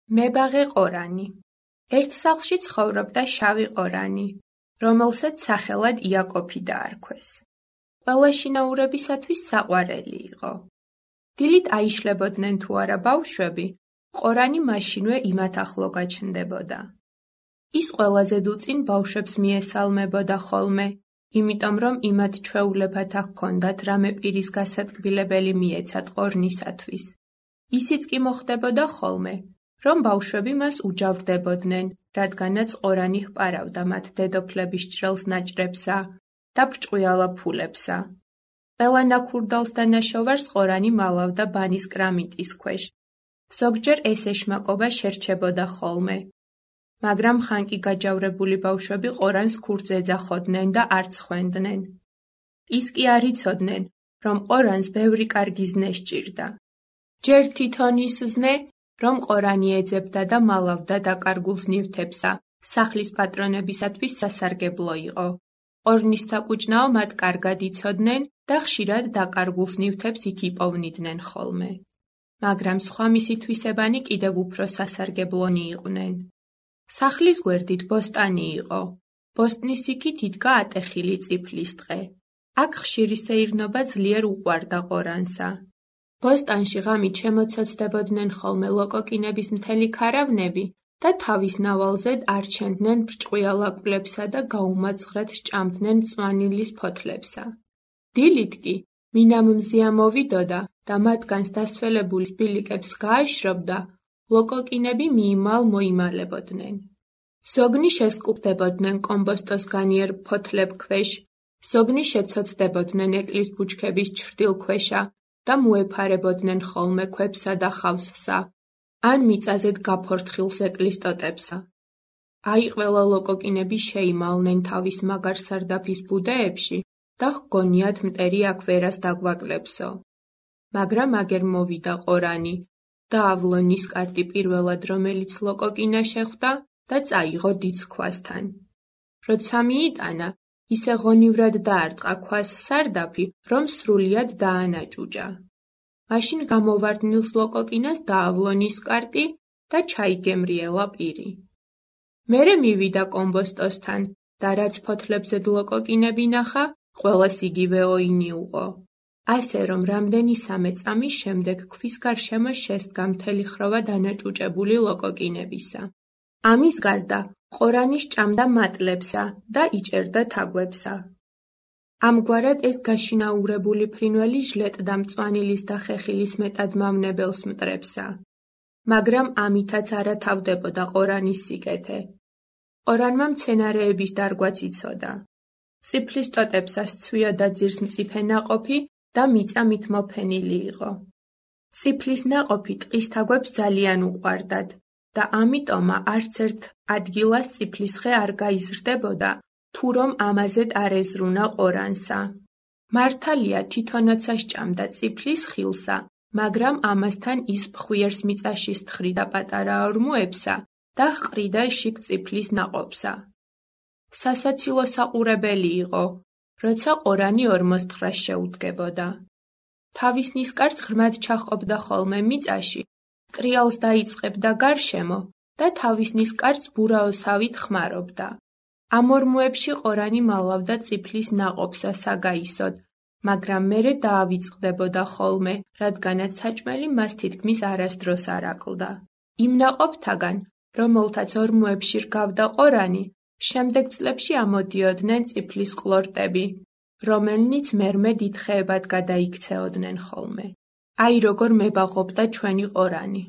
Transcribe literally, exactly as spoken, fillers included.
მებაღე ყორანი. ერთ სახლში ცხოვრობდა შავი ყორანი, რომელსაც სახელად იაკოფი დაარქვეს. ყველა შინაურებისათვის საყვარელი იყო. დილით აიშლებოდნენ თუ არა ბავშვები, ყორანი მაშინვე იმათ ახლო გაჩნდებოდა. ის ყველაზე დუწინ ბავშვებს მიესალმებოდა ხოლმე, იმიტომ რომ იმათ ჩვეულებად ჰქონდათ რამე პირის გასადგილებელი მიეცათ ყორნისათვის. ისიც კი მოხდებოდა ხოლმე, რომ ბავშვები მას უჯავრდებოდნენ, რადგანაც ყორანი ჰპარავდა მათ დედოფლების ჭრელს ნაჭრებსა და ბრჭყვიალა ფულებსა. ყველა ნაქურდალს და ნაშოვარს ყორანი მალავდა ბანის კრამიტის ქვეშ. ზოგჯერ ეს ეშმაკობა შერჩებოდა ხოლმე. მაგრამ ხანკი გაჯავრებული ბავშვები ყორანს ქურდს ეძახოდნენ და არ ცხვენდნენ. ის კი არ იცოდნენ, რომ ყორანს ბევრი კარგი ზნე სჭირდა. ჯერ თვითონ ის ზნე, რომ ყორანი ეძებდა და მალავდა დაკარგულს ნივთებსა, სახლის პატრონებისათვის სასარგებლო იყო. ყორნის საკუჭნაო მათ კარგად იცოდნენ და ხშირად დაკარგულს ნივთებს იქ იპოვნიდნენ ხოლმე. მაგრამ სხვა მისი თვისებანი კიდევ უფრო სასარგებლონი იყვნენ. სახლის გვერდით ბოსტანი იყო. ბოსტნის იქით იდგა ატეხილი წიფლის ტყე. აქ ხშირი სეირნობა ძლიერ უყვარდა ყორანსა. ბოსტანში ღამით შემოცოცდებოდნენ ხოლმე ლოკოკინების მთელი ქარავნები და თავის ნავალზედ არჩენდნენ ბრჭყვიალა კვლებსა და გაუმაძღრად სჭამდნენ მწვანილის ფოთლებსა. დილით კი, მინამ მზია მოვიდოდა და მათგანს დასველებული სპილიკებს გააშრობდა, ლოკოკინები მიიმალ მოიმალებოდნენ. ზოგნი შესკუპდებოდნენ კომბოსტოს განიერ ფოთლებ ქვეშ, ზოგნი შეცოცდებოდნენ ეკლის ბუჩქების ჩრდილ ქვეშა და მოეფარებოდნენ ხოლმე ქვებსა და ხავსსა, ან მიწაზედ გაფორთხილ ეკლის ტოტებსა. აი ყველა ლოკოკინები შეიმალნენ თავის მაგარ სარდაფის ბუდეებში და ჰგონიათ მტერი აქ ვერას დაგვაკლებსო. მაგრამ აგერ მოვიდა ყორანი, დაავლო ნისკარტი პირველად რომელიც ლოკოკინა შეხვდა და წაიღო დიდ ქვასთან. როცა მიიტანა, ისე ღონივრად დაარტყა ქვას სარდაფი, რომ სრულიად დაანაჭუჭა. მაშინ გამოვარდნილს ლოკოკინას დაავლო ნისკარტი და ჩაიგემრიელა პირი. მერე მივიდა კომბოსტოსთან და რაც ფოთლებზედ ლოკოკინები ნახა, ყველას იგივე ოინი უყო. ასე რომ რამდენისამე წამის შემდეგ ქვის გარშემო შესდგა მთელი ხროვა დანაჭუჭებული ლოკოკინებისა. ამის გარდა ყორანი სჭამდა მატლებსა და იჭერდა თაგვებსა. ამგვარად ეს გაშინაურებული ფრინველი ჟლეტდა მწვანილის და ხეხილის მეტად მავნებელს მტრებსა. მაგრამ ამითაც არა თავდებოდა ყორანის სიკეთე. ყორანმა მცენარეების დარგვაც იცოდა. წიფლის ტოტებსა სცვიოდა ძირს მწიფე ნაყოფი და მიწა მით მოფენილი იყო. წიფლის ნაყოფი ტყის თაგვებს ძალიან უყვარდათ და ამიტომა არც ერთ ადგილას წიფლის ხე არ გაიზრდებოდა, თუ რომ ამაზედ არ ეზრუნა ყორანსა. მართალია თვითონაცა სჭამდა წიფლის ხილსა, მაგრამ ამასთან ის ფხვიერს მიწაში სთხრიდა პატარა ორმოებსა და ჰყრიდა შიგ წიფლის ნაყოფსა. სასაცილო საყურებელი იყო, როცა ყორანი ორმოსთხრას შეუდგებოდა. თავის ნისკარტს ღრმად ჩაჰყოფდა ხოლმე მიწაში, ტრიალს დაიწყებდა გარშემო და თავის ნისკარტს ბურაოსავით ხმარობდა. ამ ორმოებში ყორანი მალავდა წიფლის ნაყოფსა საგაისოდ, მაგრამ მერე დაავიწყდებოდა ხოლმე, რადგანაც საჭმელი მას თითქმის არასდროს არ აკლდა. იმ ნაყოფთაგან, რომელთაც ორმოებში რგავდა ყორანი, შემდეგ წლებში ამოდიოდნენ წიფლის ყლორტები, რომელნიც მერმე დიდ ხეებად გადაიქცეოდნენ ხოლმე. აი როგორ მებაღობდა ჩვენი ყორანი.